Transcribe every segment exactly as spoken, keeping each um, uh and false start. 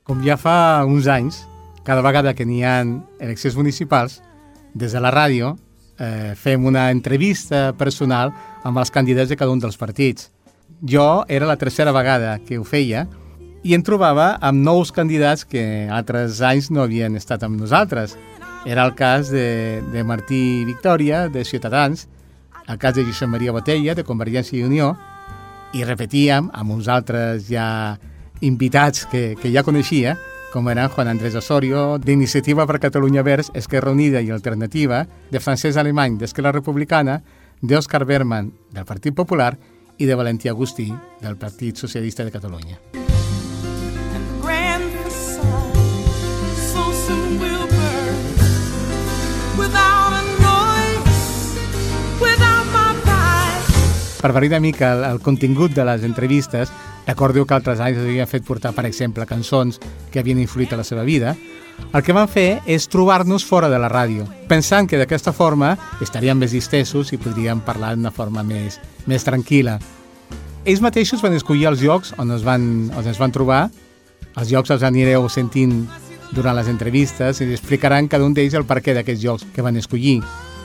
Com ja fa uns anys, cada vegada que n'hi ha eleccions municipals, des de la ràdio eh, fem una entrevista personal amb els candidats de cada un dels partits. Jo era la tercera vegada que ho feia i em trobava amb nous candidats que altres anys no havien estat amb nosaltres. Era el cas de, de Martí Victòria, de Ciutadans, el cas de Josep Maria Botella, de Convergència i Unió, i repetíem amb uns altres ja invitats que, que ja coneixia, com eren Juan Andrés Osorio, d'Iniciativa per Catalunya Verds, Esquerra Unida i Alternativa, de Francesc Alemany, d'Esquerra Republicana, d'Òscar Berman, del Partit Popular, i de Valentí Agustí, del Partit Socialista de Catalunya. Per variar una mica el, el contingut de les entrevistes, recordeu que altres anys havien fet portar, per exemple, cançons que havien influït a la seva vida. El que van fer és trobar-nos fora de la ràdio, pensant que d'aquesta forma estaríem més distesos i podríem parlar d'una forma més, més tranquil·la. Ells mateixos van escollir els llocs on es van, on es van trobar. Els llocs els anireu sentint durant les entrevistes i explicaran cada un d'ells el perquè d'aquests llocs que van escollir.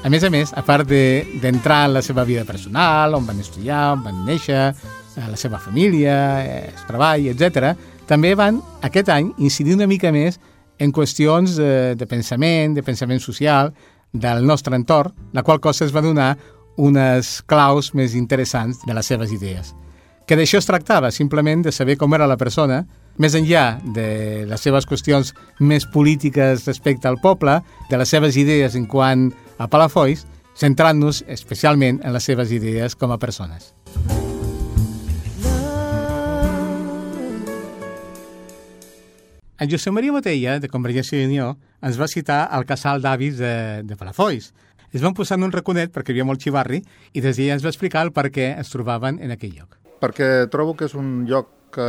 A més a més, a part d'entrar en la seva vida personal, on van estudiar, on van néixer, la seva família, el treball, etcètera, també van, aquest any, incidir una mica més en qüestions de, de pensament, de pensament social, del nostre entorn, la qual cosa es va donar unes claus més interessants de les seves idees. Que d'això es tractava, simplement de saber com era la persona, més enllà de les seves qüestions més polítiques respecte al poble, de les seves idees en quant a Palafolls, centrant-nos especialment en les seves idees com a persones. En Josep Maria Botella, de Convergència i Unió, ens va citar el casal d'avis de, de Palafolls. Es van posar en un raconet perquè hi havia molt xivarri i des d'allà ens va explicar el per què es trobaven en aquell lloc. Perquè trobo que és un lloc que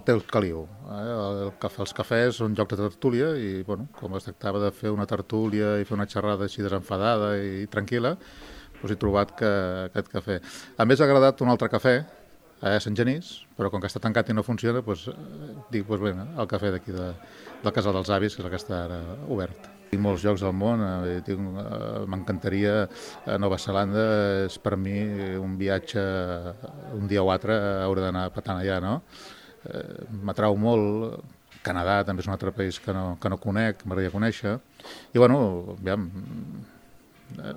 té el caliu. Eh? El cafè, els cafès són llocs de tertúlia i, bueno, com es tractava de fer una tertúlia i fer una xerrada així desenfadada i tranquil·la, doncs he trobat que aquest cafè. A més, ha agradat un altre cafè, a Sant Genís, però com que està tancat i no funciona, doncs, dic, doncs bé, el cafè d'aquí de, del Casal dels Avis, que és el que està ara obert. Tinc molts llocs al món, eh, eh, m'encantaria, a Nova Zelanda és per mi un viatge, un dia o altre hauré d'anar patant allà, no? Eh, m'atrau molt, Canadà també és un altre país que no, que no conec, m'agradaria conèixer, i bueno, aviam, eh,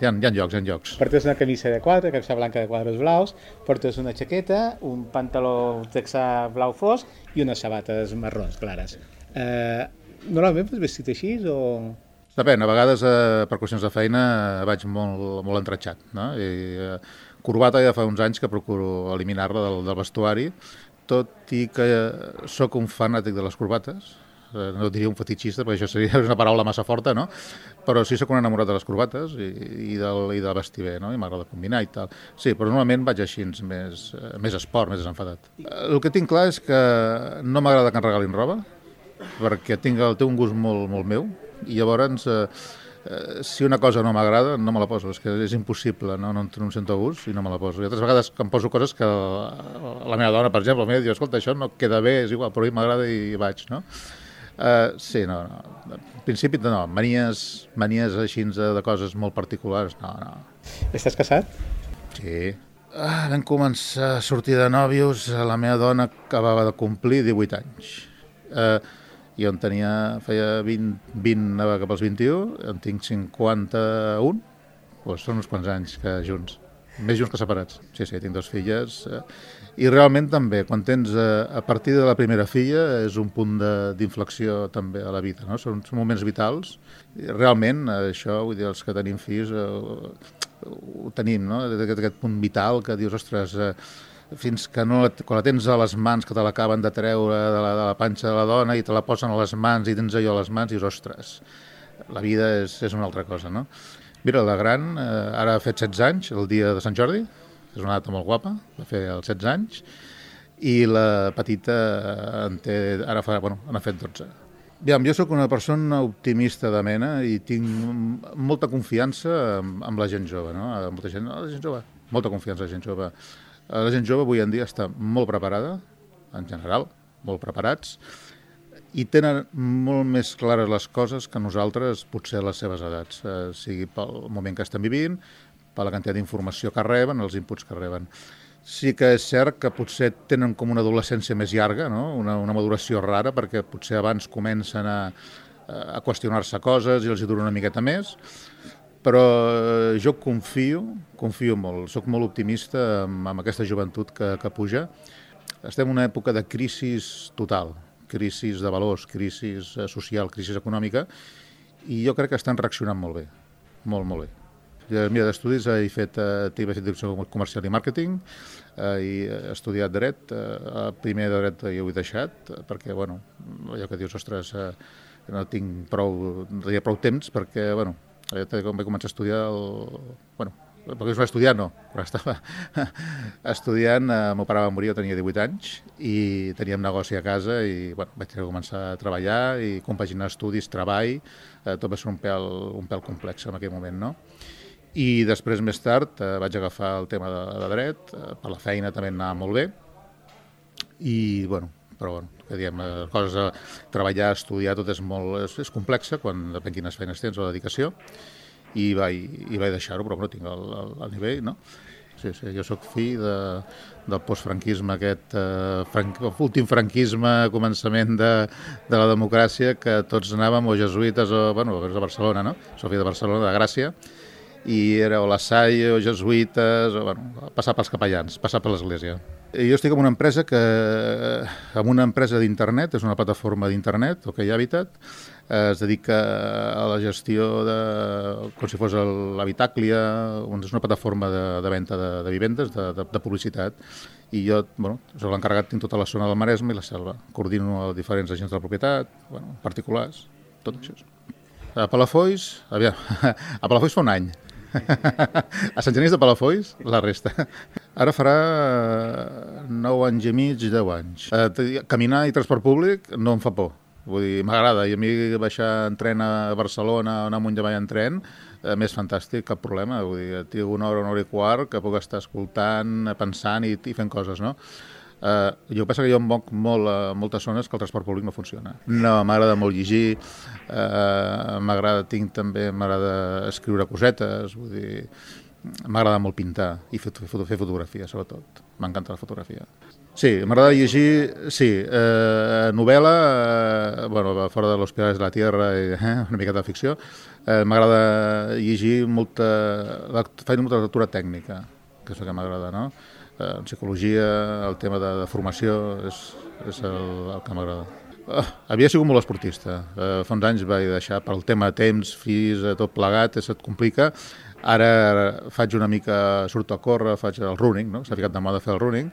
hi ha, hi ha llocs, hi ha llocs. Portes una camisa de quadre, camisa blanca de quadres blaus, portes una jaqueta, un pantaló texà blau fosc i unes sabates marrons clares. Eh, Normalment vas vestit així o...? Depèn, a vegades eh, per qüestions de feina vaig molt, molt entratxat, no? I, eh, corbata ja fa uns anys que procuro eliminar-la del, del vestuari, tot i que sóc un fanàtic de les corbates, eh, no diria un fetitxista perquè això seria una paraula massa forta, no? Però sí sóc un enamorat de les corbates i, i, del, i de vestir bé, no? I m'agrada combinar i tal. Sí, però normalment vaig així més, més esport, més desenfadat. El que tinc clar és que no m'agrada que em regalin roba, perquè tinc, té un gust molt, molt meu i llavors eh, eh, si una cosa no m'agrada no me la poso, és que és impossible, no, no, no em sento a gust i no me la poso. I altres vegades em poso coses que la, la meva dona, per exemple, diu, escolta, això no queda bé, és igual, però a mi m'agrada i vaig, no? Uh, sí, no, no. En principi no, manies, manies així de coses molt particulars, no, no. Estàs casat? Sí. Ah, vam començar a sortir de nòvios, la meva dona acabava de complir divuit anys. Eh, uh, jo en tenia, feia vint, vint, anava cap als vint-i-u, en tinc cinquanta-un, doncs són uns quants anys que junts, més junts que separats. Sí, sí, tinc dues filles, eh, i realment també, quan tens, eh, a partir de la primera filla, és un punt d'inflexió també a la vida, no? Són, són moments vitals, i realment, això, vull dir, els que tenim fills, eh, ho tenim, no? Aquest, aquest punt vital que dius, ostres, eh, fins que no, quan la tens a les mans, que te l'acaben de treure de la, de la panxa de la dona i te la posen a les mans i tens allò a les mans i dius, ostres, la vida és, és una altra cosa, no? Mira, la gran eh, ara ha fet setze anys, el dia de Sant Jordi, és una data molt guapa, va fer els setze anys, i la petita en té, ara fa, bueno, n'ha fet dotze. Aviam, jo sóc una persona optimista de mena i tinc molta confiança amb, amb la gent jove, no? Molta gent, no, la gent jove, molta confiança en la gent jove. La gent jove avui en dia està molt preparada, en general, molt preparats, i tenen molt més clares les coses que nosaltres, potser a les seves edats, eh, sigui pel moment que estem vivint, per la quantitat d'informació que reben, els inputs que reben. Sí que és cert que potser tenen com una adolescència més llarga, no? una, una maduració rara, perquè potser abans comencen a, a qüestionar-se coses i els hi dura una miqueta més, però jo confio, confio molt, sóc molt optimista amb, amb aquesta joventut que, que puja. Estem en una època de crisi total, crisi de valors, crisi social, crisi econòmica, i jo crec que estan reaccionant molt bé, molt, molt bé. Mira, d'estudis he fet, eh, he fet direcció comercial i màrqueting, eh, i he estudiat dret, eh, primer de dret ja ho he deixat, perquè, bueno, allò que dius, ostres, eh, no tinc prou, no tenia prou temps, perquè, bueno, quan vaig començar a estudiar, el, bueno, perquè no estudiar, no, però estava estudiant, eh, el meu pare va morir, jo tenia divuit anys, i teníem negoci a casa, i bueno, vaig començar a treballar, i compaginar estudis, treball, eh, tot va ser un pèl, un pèl complex en aquell moment, no? I després, més tard, eh, vaig agafar el tema de, de dret, eh, per la feina també anava molt bé, i, bueno, però, bueno, que diem, les coses a treballar, estudiar, tot és molt, és, és complexa, quan depèn quines feines tens o dedicació, i vaig, i vaig deixar-ho, però no tinc el, el, el nivell, no? Sí, sí, jo sóc fill de, del postfranquisme, aquest eh, franc, últim franquisme, començament de, de la democràcia, que tots anàvem o jesuïtes o, bueno, a Barcelona, no? Soc fill de Barcelona, de Gràcia, i era o la Salle o jesuïtes, o, bueno, passar pels capellans, passar per l'església. I jo estic en una empresa que, en una empresa d'internet, és una plataforma d'internet, OK Habitat, es dedica a la gestió de, com si fos l'habitàclia, és una plataforma de, de venda de, de vivendes, de, de, de publicitat, i jo, bueno, soc l'encarregat en tota la zona del Maresme i la Selva. Coordino els diferents agents de la propietat, bueno, particulars, tot això. A Palafolls, aviam, a Palafolls fa un any. A Sant Genís de Palafolls, la resta. Ara farà nou anys i mig, deu anys. Eh, caminar i transport públic no em fa por. Vull dir, m'agrada. I a mi baixar en tren a Barcelona o anar amunt i avall en tren, eh, més fantàstic, cap problema. Vull dir, tinc una hora, una hora i quart que puc estar escoltant, pensant i, i fent coses, no? Uh, jo penso que jo em moc molt a moltes zones que el transport públic no funciona. No, m'agrada molt llegir, uh, m'agrada, tinc també, m'agrada escriure cosetes, vull dir, m'agrada molt pintar i fer, fer, fer fotografia, sobretot. M'encanta la fotografia. Sí, m'agrada llegir, sí, eh, novel·la, eh, bueno, fora de Los Pilares de la Tierra, i, eh, una miqueta de ficció, eh, m'agrada llegir molta, feina molta lectura tècnica, que és el que m'agrada, no? En psicologia, el tema de, de formació, és, és el, el que m'agrada. Uh, havia sigut molt esportista. Uh, fa uns anys vaig deixar pel tema de temps, fills, tot plegat, se't complica. Ara faig una mica, surto a córrer, faig el running, no? S'ha ficat de moda fer el running.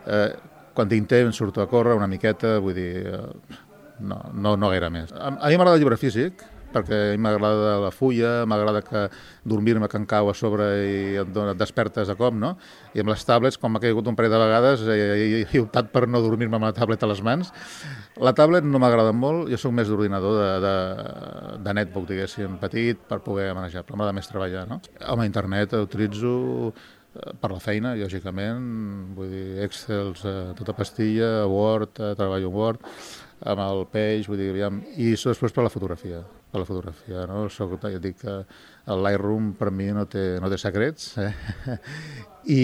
Uh, quan tinc temps surto a córrer una miqueta, vull dir, uh, no, no, no gaire més. A, a mi m'agrada el llibre físic, perquè a mi m'agrada la fulla, m'agrada que dormir-me que em cau a sobre i et, et despertes a cop, no? I amb les tablets, com m'ha caigut un parell de vegades, he, he, he optat per no dormir-me amb la tablet a les mans. La tablet no m'agrada molt, jo soc més d'ordinador, de, de, de netbook, diguéssim, petit, per poder manejar, però m'agrada més treballar, no? Home, internet utilitzo per la feina, lògicament, vull dir, Excel, tota pastilla, Word, treballo en Word, amb el peix, vull dir, aviam, i després per la fotografia, per la fotografia, no? Soc, ja dic que el Lightroom per mi no té, no té secrets, eh? I,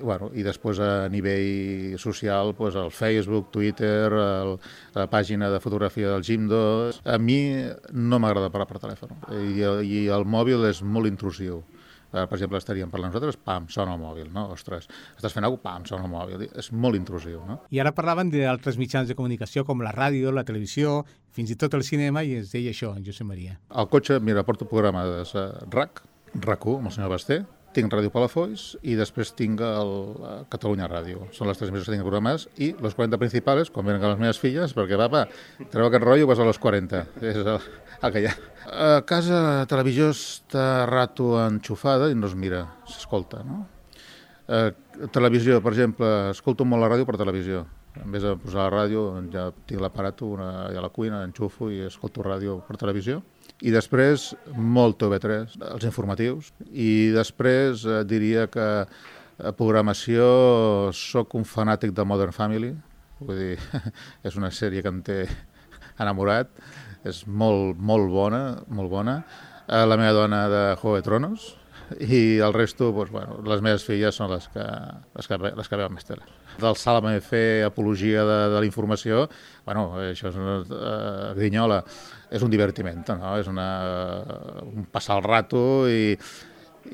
bueno, i després a nivell social, pues, el Facebook, Twitter, el, la pàgina de fotografia del Jimdo. A mi no m'agrada parlar per telèfon, i, i el mòbil és molt intrusiu. Per exemple, estaríem parlant nosaltres, pam, sona el mòbil, no? Ostres, estàs fent alguna cosa, pam, sona el mòbil. És molt intrusiu, no? I ara parlaven d'altres mitjans de comunicació com la ràdio, la televisió, fins i tot el cinema, i ens deia això, en Josep Maria. Al cotxe, mira, porto programades a R A C, R A C u, amb el senyor Basté, tinc Ràdio Palafolls i després tinc el Catalunya Ràdio. Són les tres emissores que tinc programades i los quaranta principals, quan venen les meves filles, perquè va, va, treu aquest rotllo, vas a los quaranta. És el, el que hi ha. A casa la televisió està rato enxufada i no es mira, s'escolta, no? A televisió, per exemple, escolto molt la ràdio per televisió. En vez de posar la ràdio, ja tinc l'aparato a la cuina, enxufo i escolto ràdio per televisió. I després, molt T V tres, els informatius. I després eh, diria que a programació soc un fanàtic de Modern Family. Vull dir, és una sèrie que em té, enamorat. És molt, molt bona, molt bona. Eh, la meva dona de Juego de Tronos, i el resto, doncs, bueno, les meves filles són les que, les que, les que veuen més tele. Del Sálvame fer apologia de, de la informació, bueno, això és una uh, grinyola, és un divertiment, no? És una, un passar el rato i,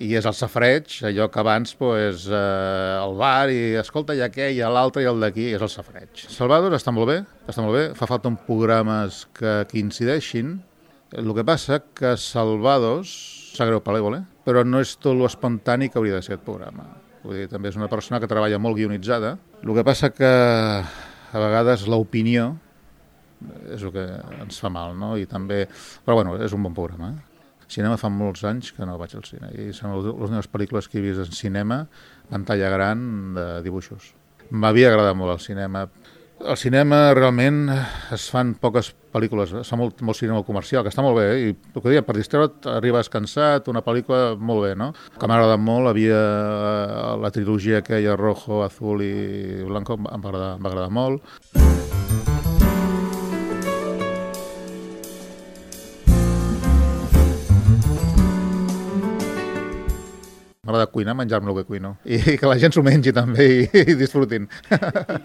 i és el safreig, allò que abans pues, eh, al bar i escolta, hi ha aquell, hi ha l'altre i el d'aquí, és el safreig. Salvador està molt bé, està molt bé, fa falta uns programes que, que incideixin. El que passa que Salvados, sap greu per l'Evole, però no és tot l'espontani que hauria de ser aquest programa. Vull dir, també és una persona que treballa molt guionitzada. El que passa que a vegades l'opinió és el que ens fa mal, no? I també... Però bueno, és un bon programa. Eh? Cinema fa molts anys que no vaig al cine i són les meves pel·lícules que he vist en cinema, pantalla gran de dibuixos. M'havia agradat molt el cinema. Al cinema realment es fan poques pel·lícules, es fa molt, molt cinema comercial, que està molt bé, eh? I el que deia, per distreure't arribes cansat, una pel·lícula molt bé, no? Que m'ha agradat molt, havia la trilogia aquella rojo, azul i blanco, em va agradar, em va agradar molt. M'agrada cuinar, menjar-me el que cuino. I que la gent s'ho mengi també i, i disfrutin.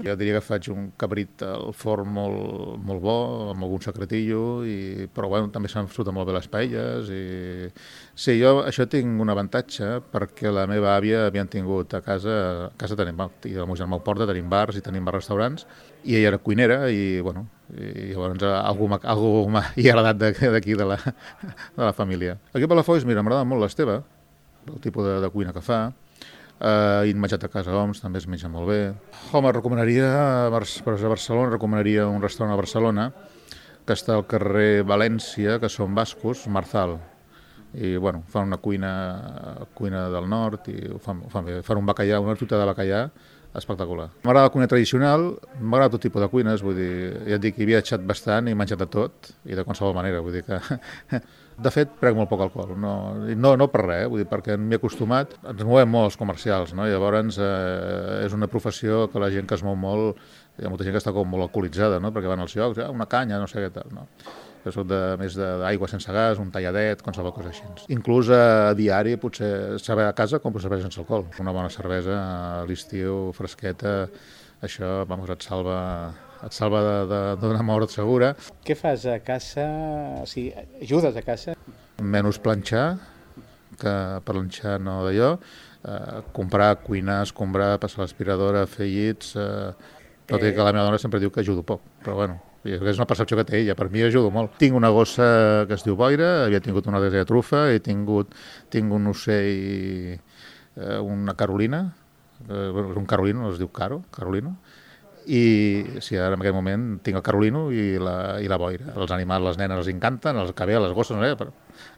Jo diria que faig un cabrit al forn molt, molt bo, amb algun secretillo, i, però bueno, també se'm surten molt bé les paelles. I... Sí, jo això tinc un avantatge perquè la meva àvia havien tingut a casa, a casa tenim, i el meu germà ho porta, tenim bars i tenim bars restaurants, i ella era cuinera i, bueno, i llavors algú m'ha agradat d'aquí, de la, de la família. Aquí a Palafolls, mira, m'agrada molt l'Esteve, el tipus de, de cuina que fa. Uh, I menjat a casa Oms també es menja molt bé. Home, recomanaria, per a Barcelona, recomanaria un restaurant a Barcelona que està al carrer València, que són bascos, Marzal. I, bueno, fan una cuina, cuina del nord i ho fan, ho fan bé. Fan un bacallà, una tuta de bacallà espectacular. M'agrada la cuina tradicional, m'agrada tot tipus de cuines, vull dir, ja et dic, he viatjat bastant i he menjat de tot, i de qualsevol manera, vull dir que... De fet, prec molt poc alcohol, no, no, no per res, eh? Vull dir, perquè m'hi he acostumat, ens movem molt els comercials, no? I llavors eh, és una professió que la gent que es mou molt, hi ha molta gent que està com molt alcoholitzada, no? Perquè van als llocs, ah, una canya, no sé què tal, no? Jo soc de, més d'aigua sense gas, un talladet, qualsevol cosa així. Inclús a diari, potser saber a casa compro cervesa sense alcohol. Una bona cervesa a l'estiu, fresqueta, això, vamos, et salva... et salva d'una mort segura. Què fas a casa? O sigui, ajudes a casa? Menys planxar, que per planxar no d'allò, eh, comprar, cuinar, escombrar, passar l'aspiradora, fer llits... Eh, tot i que la meva dona sempre diu que ajudo poc, però bueno, és una percepció que té ella, per mi ajudo molt. Tinc una gossa que es diu boira, havia tingut una de trufa, he tingut, tinc un ocell, eh, una carolina, eh, un carolino, es diu caro, carolino, i sí, ara en aquest moment tinc el carolino i la, i la boira. Els animals, les nenes els encanten, els cabells, les gosses, no sé, però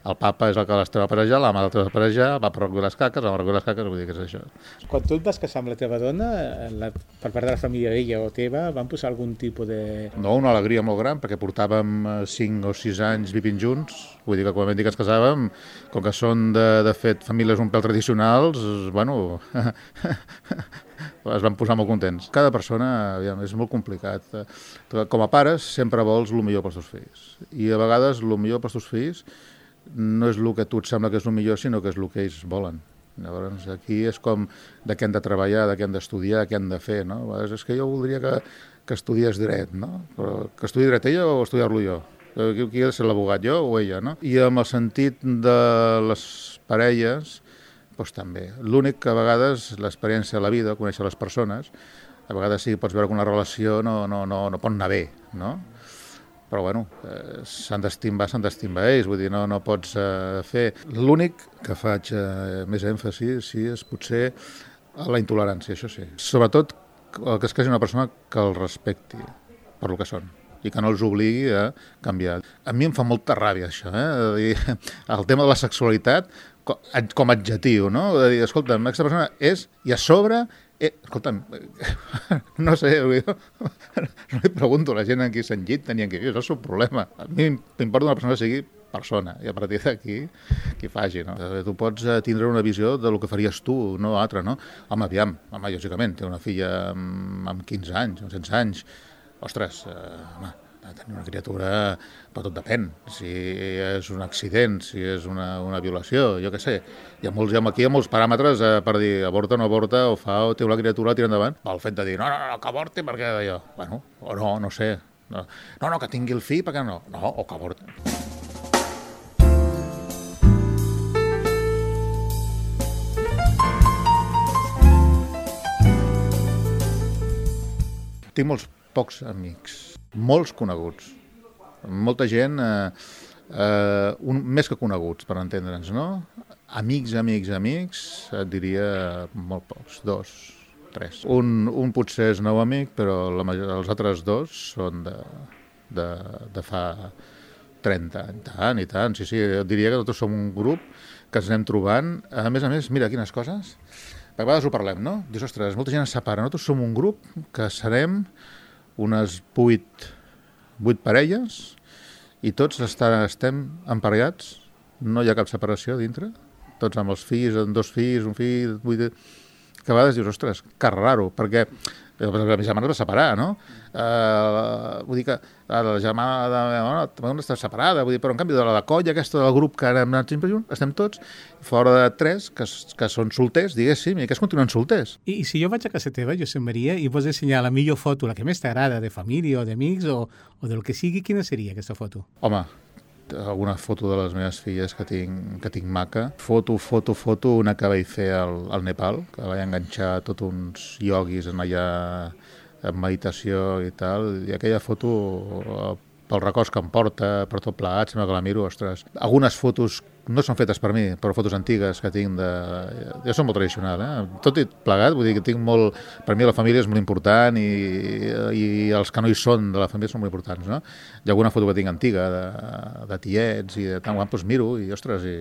el papa és el que les treu a parejar, la mare les treu a parejar, va per recollir les caques, va per recollir les caques, vull dir que és això. Quan tu et vas casar amb la teva dona, la, per part de la família d'ella o teva, van posar algun tipus de... No, una alegria molt gran, perquè portàvem cinc o sis anys vivint junts, vull dir que quan vam dir que ens casàvem, com que són de, de fet famílies un pèl tradicionals, bueno... es van posar molt contents. Cada persona, aviam, és molt complicat. Com a pares sempre vols el millor pels teus fills. I a vegades el millor pels teus fills no és el que a tu et sembla que és el millor, sinó que és el que ells volen. Llavors aquí és com de què han de treballar, de què han d'estudiar, què han de fer, no? És que jo voldria que, que estudiés dret, no? Però que estudi dret ella o estudiar-lo jo? Qui ha de ser l'abogat, jo o ella, no? I amb el sentit de les parelles, doncs també. L'únic que a vegades l'experiència de la vida, conèixer les persones, a vegades sí pots veure que una relació no, no, no, no pot anar bé, no? Però bueno, eh, s'han d'estimbar, s'han d'estimbar ells, vull dir, no, no pots eh, fer... L'únic que faig eh, més èmfasi, sí, és potser la intolerància, això sí. Sobretot el que es caси una persona que el respecti per lo que són i que no els obligui a canviar. A mi em fa molta ràbia això, eh? El tema de la sexualitat com a adjectiu, no? De dir, escolta'm, aquesta persona és, i a sobre, eh, escolta'm, no sé, no li pregunto a la gent en qui s'han llit, tenien que viure, és el seu problema. A mi m'importa una persona que sigui persona, i a partir d'aquí, qui faci, no? Tu pots tindre una visió de lo que faries tu, no altra, no? Home, aviam, home, lògicament, té una filla amb, amb quinze anys, amb setze anys, ostres, eh, home, ha de tenir una criatura, però tot depèn. Si és un accident, si és una, una violació, jo què sé. Hi ha molts, aquí hi ha molts paràmetres eh, per dir avorta o no avorta, o fa o té la criatura, tira endavant. El fet de dir, no, no, no, que avorti perquè jo... Bueno, o no, no sé. No, no, no que tingui el fill perquè no. No, o que avorti. Tinc molts pocs amics, molts coneguts. Molta gent, eh, eh, un, més que coneguts, per entendre'ns, no? Amics, amics, amics, et diria molt pocs, dos, tres. Un, un potser és nou amic, però la major, els altres dos són de, de, de fa trenta anys, tant i tant. Sí, sí, et diria que nosaltres som un grup que ens anem trobant. A més a més, mira quines coses... A vegades ho parlem, no? Dius, ostres, molta gent es separa. Nosaltres som un grup que serem unes vuit, vuit parelles i tots està, estem emparellats, no hi ha cap separació dintre, tots amb els fills, amb dos fills, un fill, vuit... Que a vegades dius, ostres, que raro, perquè la meva germana es va separar, no? Uh, vull dir que la germana de la meva dona també està separada, vull dir, però en canvi de la colla aquesta del grup que ara hem anat sempre junts, estem tots fora de tres que, que són solters, diguéssim, i que es continuen solters. I, I si jo vaig a casa teva, Josep Maria, i vols ensenyar la millor foto, la que més t'agrada, de família o d'amics o, o del que sigui, quina seria aquesta foto? Home, alguna foto de les meves filles que tinc, que tinc maca. Foto, foto, foto, una que vaig fer al, al Nepal, que vaig enganxar tots uns ioguis en allà en meditació i tal, i aquella foto, pel records que em porta, per tot plegat, sembla que la miro, ostres. Algunes fotos no són fetes per mi, però fotos antigues que tinc de... Jo soc molt tradicional, eh? Tot i plegat, vull dir que tinc molt... Per mi la família és molt important i, i els que no hi són de la família són molt importants, no? Hi ha alguna foto que tinc antiga de, de tiets i de tant, doncs miro i, ostres, i...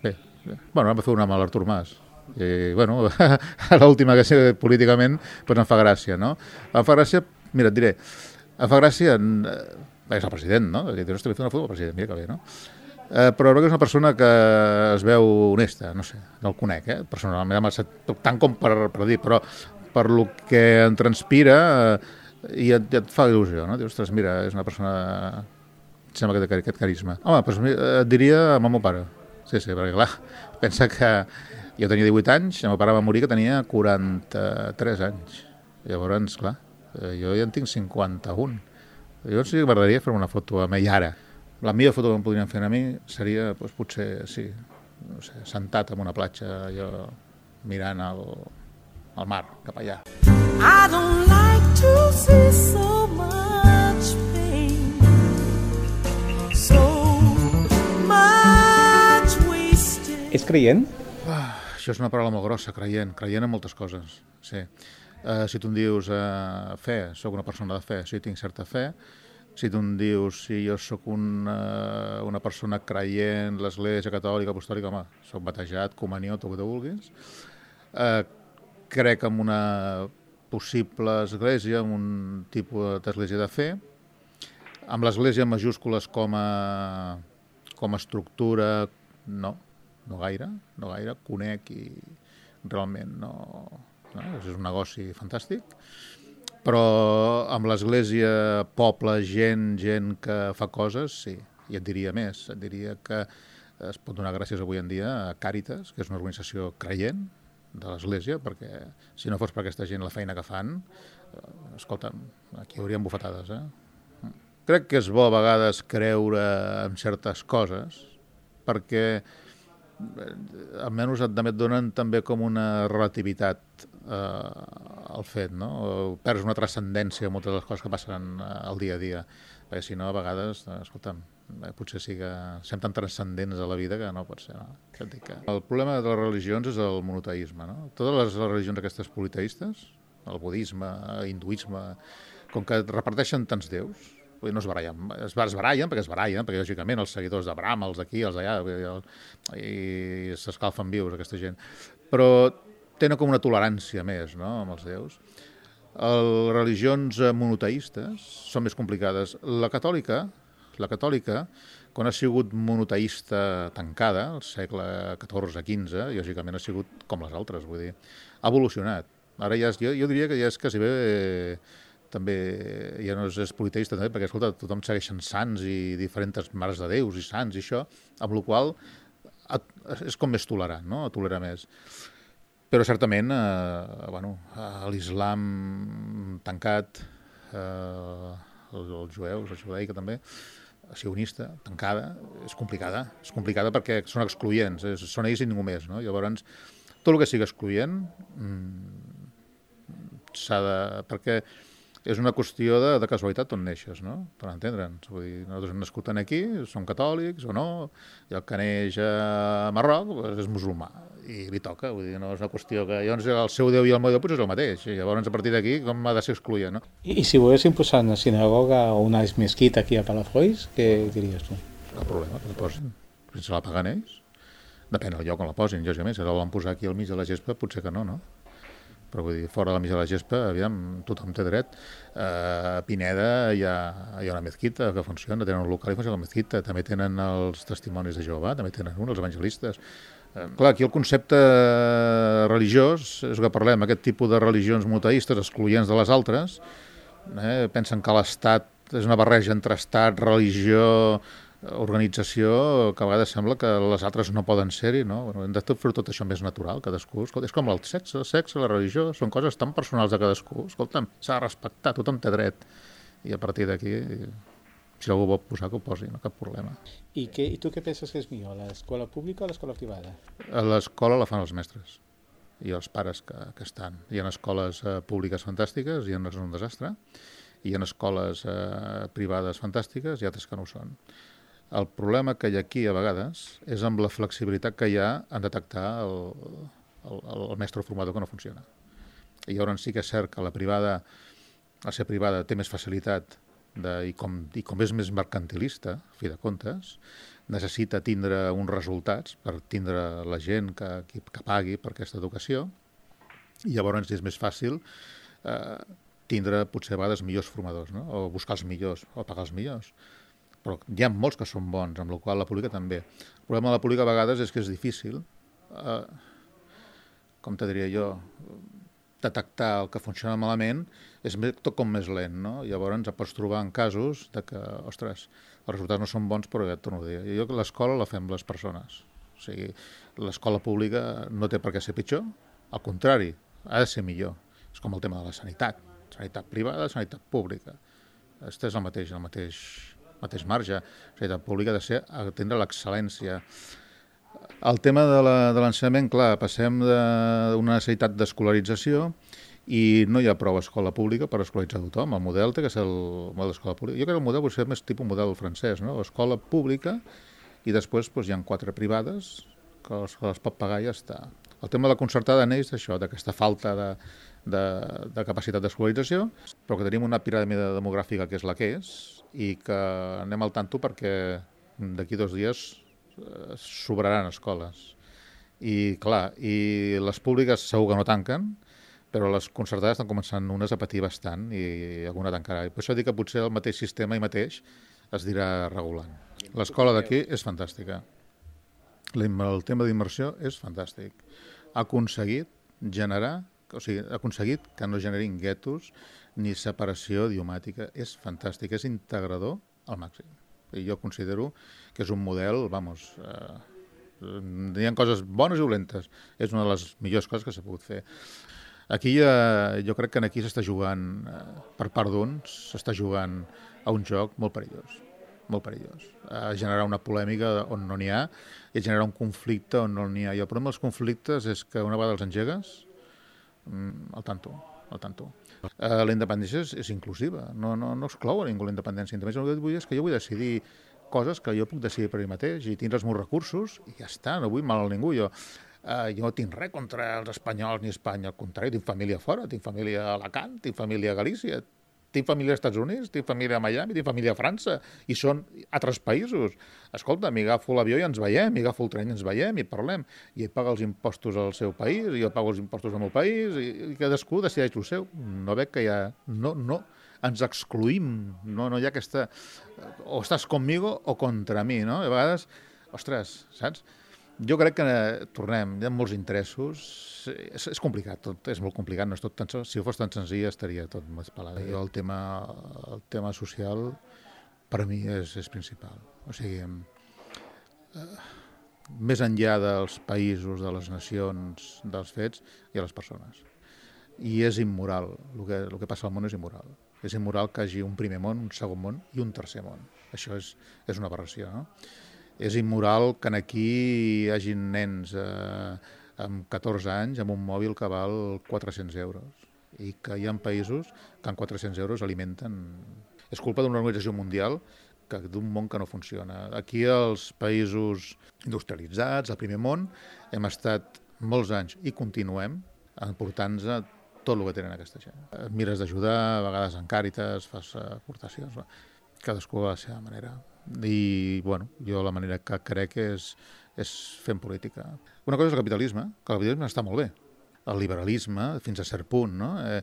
Bé, bé. Bueno, vam fer una amb l'Artur Mas. I, bueno, l'última que sé políticament, doncs em fa gràcia, no? Em fa gràcia, mira, et diré, em fa gràcia... Bé, és el president, no? I dius, ostres, vaig fer una foto del president, mira que bé, no? Eh, però crec que és una persona que es veu honesta, no sé, no el conec, eh? Personalment, tant com per, per dir, però per lo que en transpira eh, i et, et fa il·lusió, no? Dius, ostres, mira, és una persona... Sembla que té aquest carisma. Home, doncs et diria amb el meu pare. Sí, sí, perquè clar, pensa que jo tenia divuit anys, el meu pare va morir que tenia quaranta-tres anys. Llavors, clar, jo ja en tinc cinquanta-un. Llavors sí que m'agradaria fer una foto amb ell ara. La millor foto que em podrien fer a mi seria, doncs, potser, sí, no sé, sentat en una platja, jo mirant el, el mar, cap allà. I don't like to see so much pain, so much wasted. És creient? Ah, això és una paraula molt grossa, creient, creient en moltes coses, sí. Uh, si tu em dius uh, fe, sóc una persona de fe, sí, tinc certa fe. Si tu em dius si jo sóc una, una persona creient, l'Església Catòlica, Apostòlica, home, soc batejat, comunió, tot el que tu vulguis. Eh, crec en una possible església, en un tipus d'església de fe, amb l'església en majúscules com a, com a estructura, no, no gaire, no gaire, conec i realment no, no és un negoci fantàstic. Però amb l'església, poble, gent, gent que fa coses, sí. I et diria més, et diria que es pot donar gràcies avui en dia a Càritas, que és una organització creient de l'església, perquè si no fos per aquesta gent la feina que fan, eh, escolta'm, aquí hi haurien bufetades, eh? Crec que és bo a vegades creure en certes coses, perquè almenys et donen també com una relativitat eh, al fet, no? Perds una transcendència en moltes de les coses que passen al dia a dia, perquè si no, a vegades, escolta'm, potser sí que som tan transcendents a la vida que no pot ser, no? El problema de les religions és el monoteisme, no? Totes les religions aquestes politeistes, el budisme, hinduisme, com que reparteixen tants déus, no es barallen, es barallen perquè es barallen, perquè lògicament els seguidors de Brahma, els d'aquí, els d'allà, i s'escalfen vius aquesta gent, però tenen com una tolerància més, no?, amb els déus. Les religions monoteistes són més complicades. La catòlica, la catòlica, quan ha sigut monoteista tancada, al segle catorze quinze, lògicament ha sigut com les altres, vull dir, ha evolucionat. Ara ja és, jo, jo diria que ja és quasi bé també ja no és, és politeista, també, perquè, escolta, tothom segueixen sants i diferents mares de déus i sants i això, amb la qual és com més tolerant, no? Tolera més. Però certament, eh, bueno, l'islam tancat, eh, els, els jueus, la judaica també, sionista, tancada, és complicada. És complicada perquè són excloents, és, són ells i ningú més, no? Llavors, tot el que sigui excloent s'ha de... perquè és una qüestió de, de casualitat on neixes, no? Per entendre'ns. Vull dir, nosaltres hem nascut aquí, som catòlics o no, i el que neix a Marroc pues, és musulmà, i li toca. Vull dir, no és una qüestió que llavors el seu Déu i el meu Déu pues, és el mateix. I llavors, a partir d'aquí, com ha de ser excloent, no? I, i si volguessin posar una sinagoga o una mesquita aquí a Palafolls, què diries tu? Cap problema, que la posin. Si se la paguen ells. Depèn del lloc on la posin, lògicament. Si la volen posar aquí al mig de la gespa, potser que no, no? Però vull dir, fora de la mig de la gespa, aviam, tothom té dret. Uh, a Pineda hi ha, hi ha una mezquita que funciona, tenen un local i funciona la mezquita, també tenen els testimonis de Jehovà, també tenen un, els evangelistes. Uh, clar, aquí el concepte religiós, és el que parlem, aquest tipus de religions monoteistes excloents de les altres, eh, pensen que l'Estat és una barreja entre Estat, religió, organització, que a vegades sembla que les altres no poden ser-hi, no? Bueno, hem de fer tot això més natural, cadascú. Escolta, és com el sexe, el sexe, la religió, són coses tan personals de cadascú. Escolta'm, s'ha de respectar, tothom té dret. I a partir d'aquí, si algú vol posar, que ho posi, no cap problema. I, què, I tu què penses que és millor, l'escola pública o l'escola privada? A l'escola la fan els mestres i els pares que, que estan. Hi ha escoles eh, públiques fantàstiques, hi ha un desastre, hi ha escoles eh, privades fantàstiques i altres que no ho són. El problema que hi ha aquí, a vegades, és amb la flexibilitat que hi ha en detectar el, el, el mestre formador que no funciona. I llavors sí que és cert que la privada, a ser privada, té més facilitat de, i, com, i com és més mercantilista, a fi de comptes, necessita tindre uns resultats per tindre la gent que, que, que pagui per aquesta educació, i llavors és més fàcil eh, tindre potser a vegades millors formadors, no? O buscar els millors, o pagar els millors. Però hi ha molts que són bons, amb la qual la pública també. El problema de la pública a vegades és que és difícil, eh, com te diria jo, detectar el que funciona malament és tot com més lent, no? Llavors et pots trobar en casos de que, ostres, els resultats no són bons, però ja et torno a dir. Jo que l'escola la fem les persones. O sigui, l'escola pública no té per què ser pitjor, al contrari, ha de ser millor. És com el tema de la sanitat. Sanitat privada, sanitat pública. Este és el mateix, el mateix... mateix marge. La sanitat pública ha de ser atendre l'excel·lència. El tema de l'ensenyament, clar, passem d'una necessitat d'escolarització i no hi ha prou escola pública per escolaritzar tothom. El model té que ser el model d'escola pública. Jo crec que el model pot ser més tipus model francès, no? Escola pública i després doncs, hi ha quatre privades que les, que les pot pagar i ja està. El tema de la concertada neix d'això, d'aquesta falta de, de, de capacitat d'escolarització, però que tenim una piràmide demogràfica que és la que és i que anem al tanto perquè d'aquí dos dies eh, sobraran escoles. I clar, i les públiques segur que no tanquen, però les concertades estan començant unes a patir bastant i alguna tancarà. I per això dic que potser el mateix sistema i mateix es dirà regulant. L'escola d'aquí és fantàstica. El tema d'immersió és fantàstic. Ha aconseguit generar, o sigui, ha aconseguit que no generin guetos ni separació idiomàtica. És fantàstic, és integrador al màxim. I jo considero que és un model, vamos, eh, hi ha coses bones i dolentes. És una de les millors coses que s'ha pogut fer. Aquí eh, jo crec que aquí s'està jugant, eh, per part d'uns, s'està jugant a un joc molt perillós. molt perillós, a generar una polèmica on no n'hi ha i a generar un conflicte on no n'hi ha. I el problema dels conflictes és que una vegada els engegues, al tanto, al tanto. Uh, la independència és, és inclusiva, no, no, no exclou a ningú la independència. El que vull és que jo vull decidir coses que jo puc decidir per mi mateix i tindre els meus recursos i ja està, no vull mal a ningú. Jo, uh, jo no tinc res contra els espanyols ni Espanya, al contrari, tinc família fora, tinc família a Alacant, tinc família a Galícia, tinc família als Estats Units, tinc família a Miami, tinc família a França, i són altres països. Escolta, m'agafo l'avió i ens veiem, m'agafo el tren i ens veiem i parlem. I ell paga els impostos al seu país, i jo pago els impostos al meu país, i, i cadascú decideix el seu. No veig que hi ha... No, no, ens excluïm, no, no hi ha aquesta... O estàs conmigo o contra mi, no? A vegades, ostres, saps? Jo crec que, eh, tornem, hi ha molts interessos, és, és complicat, tot és molt complicat, no és tot tan, si fos tan senzill estaria tot més pelat. Jo el tema, el tema social per a mi és, és principal. O sigui, eh, més enllà dels països, de les nacions, dels fets, hi ha les persones. I és immoral, el que, el que passa al món és immoral. És immoral que hi hagi un primer món, un segon món i un tercer món. Això és, és una aberració, no? És immoral que aquí hi hagi nens eh, amb catorze anys amb un mòbil que val quatre-cents euros i que hi ha països que amb quatre-cents euros alimenten. És culpa d'una organització mundial que d'un món que no funciona. Aquí els països industrialitzats, el primer món, hem estat molts anys i continuem emportant-nos tot el que tenen aquesta gent. Mires d'ajudar, a vegades en Càritas, fas aportacions, cadascú a la seva manera. I, bueno, jo la manera que crec és, és fent política. Una cosa és el capitalisme, que el capitalisme està molt bé. El liberalisme, fins a cert punt, no? Eh,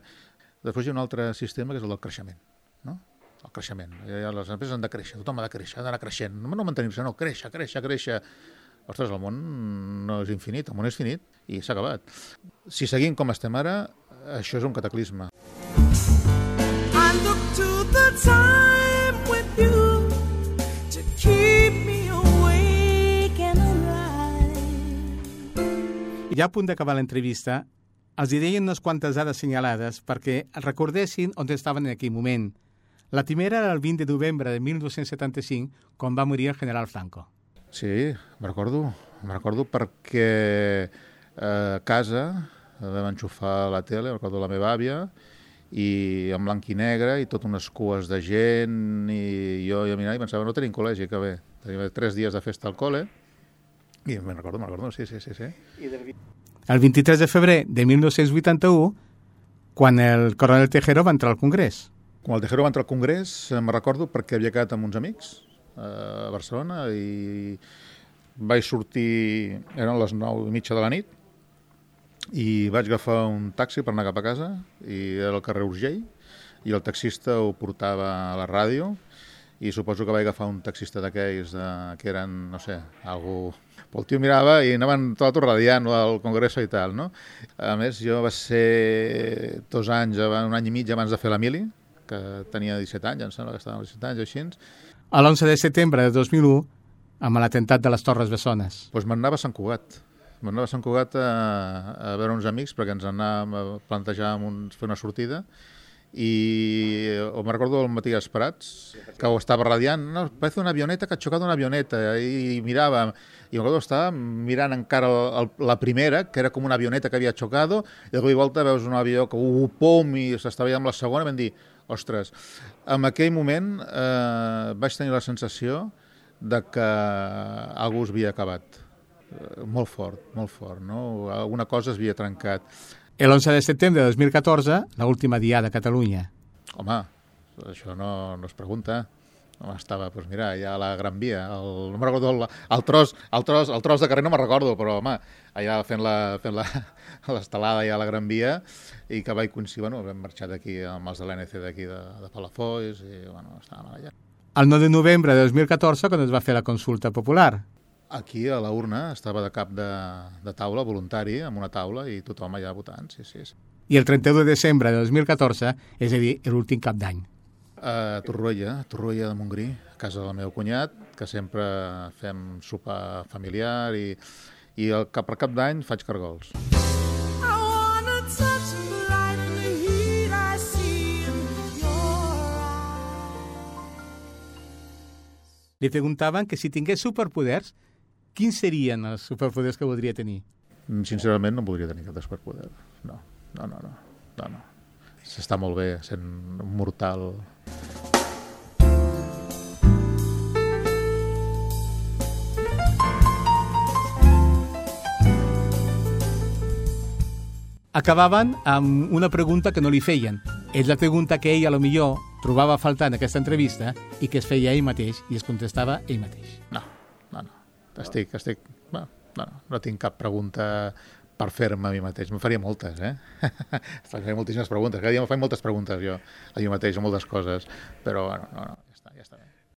després hi ha un altre sistema que és el del creixement, no? El creixement. Les empreses han de créixer, tothom ha de créixer, ha d'anar creixent. No, no mantenir-se, no, créixer, créixer, créixer. Ostres, el món no és infinit, el món és finit i s'ha acabat. Si seguim com estem ara, això és un cataclisme. I look to the time with you to keep me awake and alive. I ja a punt d'acabar l'entrevista, els hi deien unes quantes dades senyalades perquè recordessin on estaven en aquell moment. La primera era el vint de novembre de mil nou-cents setanta-cinc, quan va morir el general Franco. Sí, me'n recordo. Me'n recordo perquè a casa vam enxufar la tele, recordo la meva àvia, i en blanc i negre, i tot unes cues de gent, i jo i a mirar i pensava, no tenim col·legi, que bé. Tenim tres dies de festa al col·le, i me'n recordo, me'n recordo, sí, sí, sí. sí. El vint-i-tres de febrer de mil nou-cents vuitanta-u, quan el coronel Tejero va entrar al Congrés. Quan el Tejero va entrar al Congrés, me'n recordo perquè havia quedat amb uns amics a Barcelona i vaig sortir, eren les nou i mitja de la nit, i vaig agafar un taxi per anar cap a casa, i era al carrer Urgell, i el taxista ho portava a la ràdio, i suposo que vaig agafar un taxista d'aquells de, que eren, no sé, algú... El tio mirava i anaven tot radiant al Congreso i tal, no? A més, jo va ser dos anys, un any i mig abans de fer la mili, que tenia disset anys, em sembla que estava amb disset anys o així. A l'onze de setembre de dos mil u, amb l'atemptat de les Torres Bessones. Doncs pues m'anava a Sant Cugat. M'anava a Sant Cugat a, a veure uns amics perquè ens anàvem a plantejar un, fer una sortida, i me recordo el Matías Prats, que ho estava radiant, no, parece una avioneta que ha xocat una avioneta, i, i mirava, i me recordo que estava mirant encara el, el, la primera, que era com una avioneta que havia xocat, i de cop i volta veus un avió que uh, pum, i s'estava veient amb la segona, i vam dir, ostres, en aquell moment eh, vaig tenir la sensació de que algú es havia acabat. Eh, molt fort, molt fort, no? Alguna cosa es havia trencat. El onze de setembre de dos mil catorze, l'última diada a Catalunya. Home, això no, no es pregunta. Home, estava, doncs mira, allà a la Gran Via, el, no me'n recordo, el, el, tros, el, tros, el tros de carrer no me'n recordo, però home, allà fent la fent la, l'estelada allà a la Gran Via, i que vaig coincidir, bueno, vam marxar d'aquí amb els de l'A N C d'aquí de, de Palafolls, i bueno, estàvem allà. El nou de novembre de dos mil catorze, quan es va fer la consulta popular. Aquí a la urna estava de cap de, de taula, voluntari, amb una taula, i tothom allà votant, sí, sí. sí. I el trenta-u de desembre de dos mil catorze, és a dir, l'últim cap d'any. A Torroella, a Torroella de Montgrí, a casa del meu cunyat, que sempre fem sopar familiar, i, i el, per cap d'any faig cargols. Li preguntaven que si tingués superpoders, quins serien els superpoders que voldria tenir? Sincerament no voldria tenir cap de superpoder. No, no, no, no. no, no. S'està molt bé sent un mortal. Acabaven amb una pregunta que no li feien. És la pregunta que ell, a lo millor, trobava a faltar en aquesta entrevista i que es feia ell mateix i es contestava ell mateix. No, no, no. Estic, estic... No, no, no tinc cap pregunta per fer-me a mi mateix. Me'n faria moltes, eh? Faria moltíssimes preguntes. Cada dia me faig moltes preguntes jo a mi mateix, a moltes coses. Però, bueno, no, no.